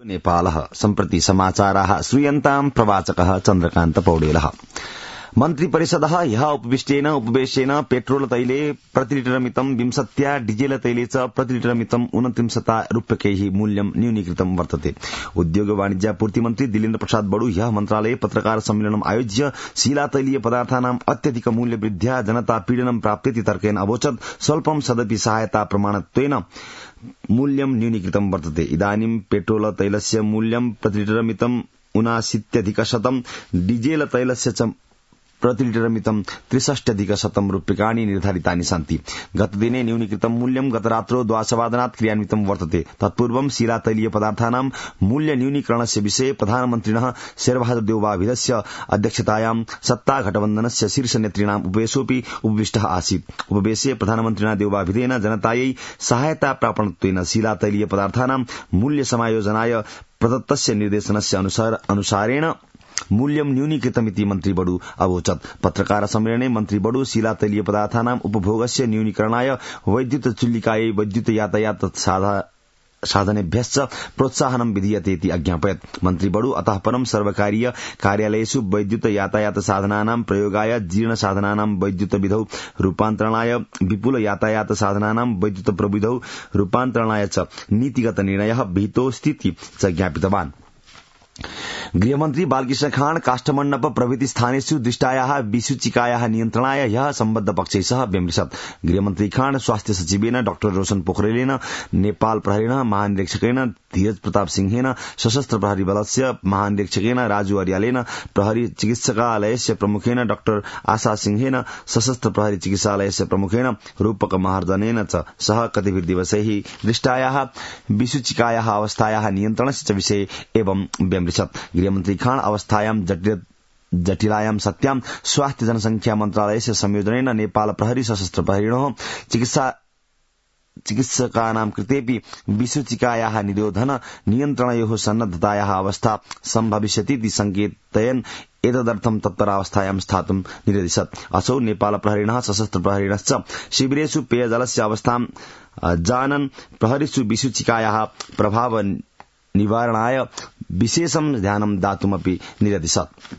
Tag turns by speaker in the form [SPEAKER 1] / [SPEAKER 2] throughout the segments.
[SPEAKER 1] नेपालः सम्प्रति समाचाराः श्रूयन्ताम् प्रवाचकः चन्द्रकान्त पौडेलः। मन्त्रिपरिषदः ह्यः उपवेशेन पेट्रोल तैले प्रतिलिटरमितं 20, डीजेल तैले च प्रतिलिटरमितं 29 रूप्यकैः मूल्यं न्यूनीकृतं वर्तते। उद्योग वाणिज्य पूर्ति मन्त्री दिलेन्द्र प्रसाद बडु ह्यः मन्त्रालये पत्रकार सम्मेलनम् आयोज्य शीलातैलीय पदार्थानाम् अत्यधिक मूल्यवृद्ध्या जनता पीडनं प्राप्तेति तर्केण अवोचत् स्वल्पं सदपि सहायता प्रमाणत्वेन मूल्यं न्यूनीकृतं वर्तते। इदानीं पेट्रोल तैलस्य मूल्यं प्रतिलिटरमितं 79,100, डीजेल तैलस्य च प्रतिलिटरमितं 63,100 रूप्यकाणि निर्धारितानि सन्ति। गतदिने न्यूनीकृतं मूल्यं गतरात्रौ 12:00 क्रियान्वितं वर्तते। तत्पूर्वं शीलातैलीय पदार्थानां मूल्य न्यूनीकरणस्य विषये प्रधानमन्त्रिणः शेरबहादुर देउवाभिधस्य अध्यक्षतायां सत्तागठबन्धनस्य शीर्षनेतॄणाम् उपवेशोऽपि उपविष्टः आसीत्। उपवेशे प्रधानमन्त्रिणा देउवाभिधेन जनतायै सहायता प्रापणत्वेन शीलातैलीय पदार्थानां मूल्य समायोजनाय प्रदत्तस्य निर्देशनस्य अनुसारेण मूल्यं न्यूनीकृतमिति मन्त्री बडु अवोचत्। पत्रकार सम्मेलने मन्त्री बडु शीलातैलीय पदार्थानां उपभोगस्य न्यूनीकरणाय वैद्युत चुल्लिकायै वैद्युत यातायात साधनेभ्यश्च प्रोत्साहनं विधीयतेति अज्ञापयत्। मन्त्री बडु अतः परं सर्वकारीय कार्यालयेषु वैद्युत यातायात साधनानां प्रयोगाय, जीर्ण साधनानां वैद्युत विधौ रूपान्तरणाय, विपुल यातायात साधनानां वैद्युत प्रविधौ रूपान्तरणाय च नीतिगत निर्णयः विहितोऽस्तीति च ज्ञापितवान्। गृहमन्त्री बालकृष्ण खाँड काष्ठमण्डप प्रभृति स्थानेषु दृष्टायाः विसूचिकायाः नियन्त्रणाय ह्यः सम्बद्ध पक्षैः सह व्यमृशत्। गृहमन्त्री खाँड स्वास्थ्य सचिवेन डाक्टर रोशन पोखरेलेन, नेपाल प्रहरीणः महानिरीक्षकेन धीरज प्रताप सिंहेन, सशस्त्र प्रहरी बलस्य महानिरीक्षकेन राजु अर्यालेन, प्रहरी चिकित्सकालयस्य प्रमुखेन डाक्टर आशा सिंहेन, सशस्त्र प्रहरी चिकित्सालयस्य प्रमुखेन रूपक महार्जनेन च सह कतिपय दिवसैः दृष्टायाः विसूचिकायाः अवस्थायाः नियन्त्रणस्य च विषये एवं व्यमृशत्। गृहमन्त्री खाँड अवस्थायां जटिलायां सत्यां स्वास्थ्य जनसंख्या मन्त्रालयस्य संयोजनेन नेपाल प्रहरी सशस्त्र प्रहरीणोः चिकित्सकानां कृतेपि विसूचिकायाः निरोधन नियन्त्रणयोः सन्नद्धतायाः अवस्था सम्भविष्यतीति संकेतयन् एतदर्थं तत्परावस्थायां स्थातुं निर्दिशत्। असौ नेपाल प्रहरीणः सशस्त्र प्रहरीणश्च शिबिरेषु पेयजलस्य अवस्थां जानन् प्रहरीषु विसूचिकायाः प्रभाव निवारणाय विशेषं ध्यानं दातुमपि निर्दिशत्।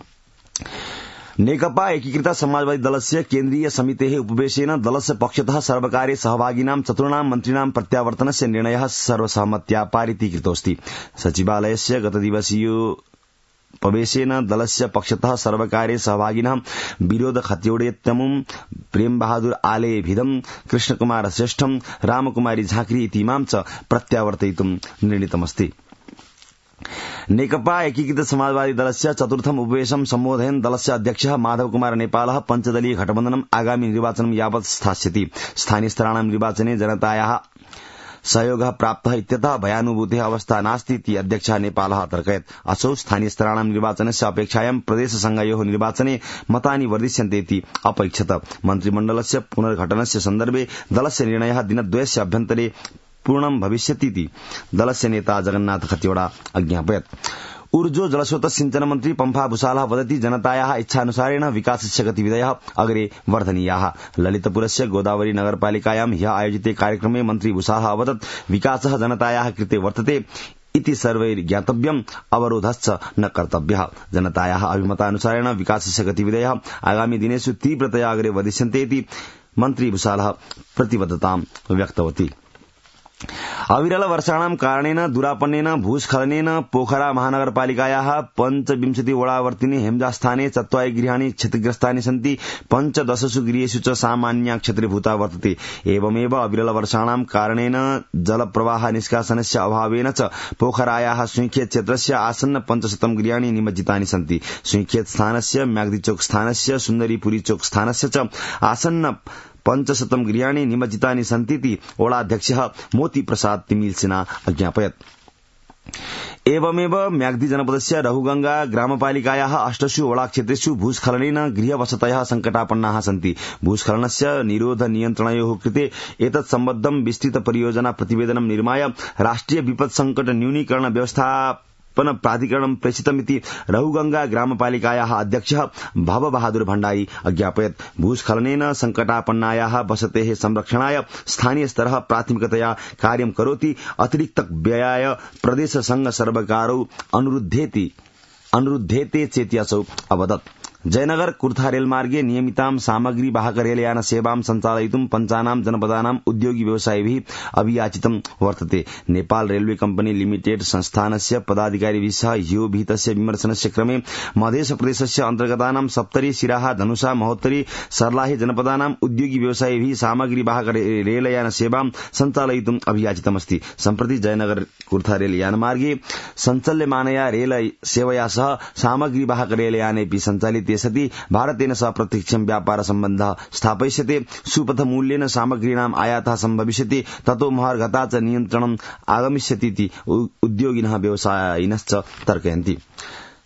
[SPEAKER 1] नेकपा एकीकृत समाजवादी दलस्य केन्द्रीय समितेः उपवेशेन दलस्य पक्षतः सर्वकारे सहभागिनां चतुर्णां मन्त्रिणां प्रत्यावर्तनस्य निर्णयः सर्वसहमत्या पारितीकृतोऽस्ति। सचिवालयस्य गतदिवसीयोपवेशेन दलस्य पक्षतः सर्वकारे सहभागिनः विरोध खत्योडेत्यमुं, प्रेम बहादुर आलेभिदं, कृष्णकुमार श्रेष्ठं, रामकुमारी झाँक्री इतीमां च प्रत्यावर्तयितुं निर्णीतमस्ति। नेकपा एकीकृत समाजवादी दलस्य चतुर्थम उपवेशं सम्बोधयन् दलस्य अध्यक्षः माधव कुमार नेपालः पञ्चदलीय गठबन्धनम् आगामी निर्वाचनं यावत् स्थास्यति। स्थानीय स्तराणां निर्वाचने जनतायाः सहयोगः प्राप्तः इत्यतः भयानुभूतेः अवस्था नास्ति इति अध्यक्षः नेपालः अतर्कयत्। असौ स्थानीय स्तराणां निर्वाचनस्य अपेक्षायां प्रदेशसंघयोः निर्वाचने मतानि वर्धिष्यन्ते इति अपैक्षत। मन्त्रिमण्डलस्य पुनर्गठनस्य सन्दर्भे दलस्य निर्णयः दिनद्वयस्य अभ्यन्तरे पूर्णं भविष्यतीति दलस्य नेता जगन्नाथ खतिवड़ा अज्ञापयत्। ऊर्जो जलस्रोत सिंचन मन्त्री पम्फा भूषालः वदति जनतायाः इच्छानुसारेण विकासस्य गतिविधयः अग्रे वर्धनीयाः। ललितपुरस्य गोदावरी नगरपालिकायां ह्यः आयोजिते कार्यक्रमे मन्त्री भूषालः अवदत् विकासः जनतायाः कृते वर्तते इति सर्वैः ज्ञातव्यम्, अवरोधश्च न कर्तव्यः। जनतायाः अभिमतानुसारेण विकासस्य गतिविधयः आगामी दिनेषु तीव्रतया अग्रे वर्धिष्यन्ते इति मन्त्री भूषालः प्रतिबद्धतां व्यक्तवती। अविरल वर्षाणां कारणेन दुरापन्नेन भूस्खलनेन पोखरा महानगरपालिकायाः 25 वडावर्तिनि हेमजास्थाने 4 गृहाणि क्षतिग्रस्तानि सन्ति। 15 गृहेषु च सामान्या क्षतिर्भूता वर्तते। एवमेव अविरल वर्षाणां कारणेन जलप्रवाह निष्कासनस्य अभावेन च पोखरायाः सुइखेत क्षेत्रस्य आसन्न 500 गृहाणि निमज्जितानि सन्ति। सुइखेत स्थानस्य, म्याग्दीचोक स्थानस्य, सुन्दरीपुरी चोक स्थानस्य च आसन्न 500 गृहाणि निमज्जितानि सन्तीति वडाध्यक्षः मोती प्रसाद तिमिलसिना अज्ञापयत्। एवमेव म्याग्दी जनपदस्य रहुगंगा ग्रामपालिकायाः 8 वडाक्षेत्रेषु भूस्खलनेन गृहवसतयः संकटापन्नाः सन्ति। भूस्खलनस्य निरोध नियन्त्रणयोः कृते एतत् सम्बद्धं विस्तृत परियोजना प्रतिवेदनं निर्माय राष्ट्रिय विपत् संकट न्यूनीकरण व्यवस्था व्यवस्थापन प्राधिकरणं प्रेषितमिति रहुगंगा ग्रामपालिकायाः अध्यक्षः भवबहादुर भण्डारी अज्ञापयत्। भूस्खलनेन संकटापन्नायाः वसतेः संरक्षणाय स्थानीय स्तरः प्राथमिकतया कार्यं करोति। अतिरिक्त व्ययाय प्रदेश संघ सर्वकारौ अनुरुद्धेते चेति असौ अवदत्। जयनगर कुर्था रेलमार्गे नियमितां सामग्री वाहक रेलयान सेवां सञ्चालयितुं पञ्चानां जनपदानां उद्योगी व्यवसायिभिः अभियाचितं वर्तते। नेपाल रेलवे कम्पनी लिमिटेड संस्थानस्य पदाधिकारिभिः सह ह्यो विहितस्य विमर्शनस्य क्रमे मध्यप्रदेशस्य अन्तर्गतानां सप्तरी सिराहा धनुषा महोत्तरी सर्लाही जनपदानां उद्योगी व्यवसायिभिः सामग्री वाहक रेलयान सेवां सञ्चालयितुम् अभियाचितमस्ति। सम्प्रति जयनगर कुर्था रेलयानमार्गे सञ्चाल्यमानया रेल सेवया सह सामग्री वाहक रेलयानेऽपि सञ्चालिते सति भारतेन सह प्रत्यक्षं व्यापार सम्बन्धः स्थापयिष्यते। सुपथ मूल्येन सामग्रीणाम् आयातः सम्भविष्यति। ततो महर्घता च नियन्त्रणम् आगमिष्यतीति उद्योगिनः व्यवसायिनश्च तर्कयन्ति।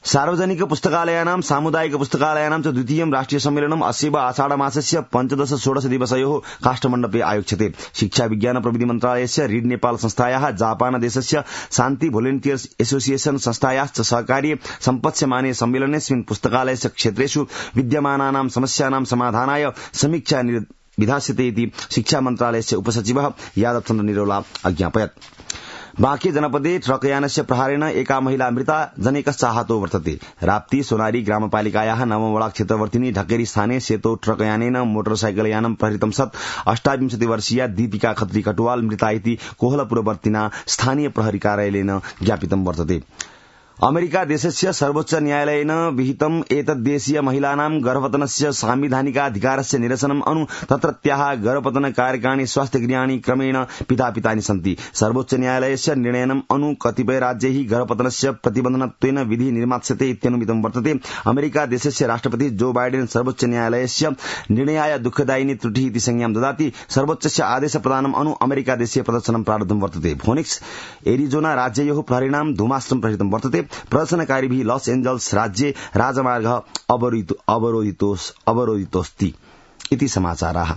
[SPEAKER 1] सार्वजनिक पुस्तकालयानां सामुदायिक पुस्तकालयानां च द्वितीयं राष्ट्रिय सम्मेलनम् अस्यैव आषाढमासस्य 15-16 दिवसयोः काष्ठमण्डपे आयोक्ष्यते। शिक्षा विज्ञान प्रविधि मन्त्रालयस्य रीड नेपाल संस्थायाः जापान देशस्य शान्ति भोलेन्टियर्स एसोसिएशन संस्थायाश्च सहकार्ये सम्पत्स्यमाने सम्मेलनेऽस्मिन् पुस्तकालयस्य क्षेत्रेषु विद्यमानानां समस्यानां समाधानाय समीक्षा विधास्यते इति शिक्षा मन्त्रालयस्य उपसचिवः यादवचन्द्र निरौला अज्ञापयत्। बाँके जनपदे ट्रकयानस्य प्रहारेण एका महिला मृता जनेकश्च आहतो वर्तते। राप्ती सोनारी ग्रामपालिकायाः नवमवडा क्षेत्रवर्तिनी ढक्केरी स्थाने सेतो ट्रकयानेन मोटरसाइकलयानं प्रहृतं सत् 28 वर्षीया दीपिका खत्री कटुवाल मृता इति कोहलपुरवर्तिना स्थानीय प्रहरी कार्यालयेन ज्ञापितं वर्तते। अमेरिका देशस्य सर्वोच्च न्यायालयेन विहितम् एतद्देशीय महिलानां गर्भपतनस्य सांविधानिकाधिकारस्य निरसनम् अनु तत्रत्याः गर्भपतन कार्यकाणि स्वास्थ्यगृहाणि क्रमेण पितापितानि सन्ति। सर्वोच्च न्यायालयस्य निर्णयनम् अनु कतिपय राज्यैः गर्भपतनस्य प्रतिबन्धनत्वेन विधि निर्मास्यते इत्यनुमितं वर्तते। अमेरिका देशस्य राष्ट्रपति जो बाइडेन सर्वोच्च न्यायालयस्य निर्णयाय दुःखदायिनी त्रुटिः इति संज्ञां ददाति। सर्वोच्चस्य आदेश प्रदानम् अनु अमेरिका देशीय प्रदर्शनं प्रारब्धं वर्तते। फोनिक्स एरिजोना राज्ययोः प्रहरीणां धूमास्त्रं प्रहृतं वर्तते। प्रदर्शनकारीभिः लॉस एंजल्स राज्ये राजमार्गः अवरोधितोऽस्ति इति समाचाराः।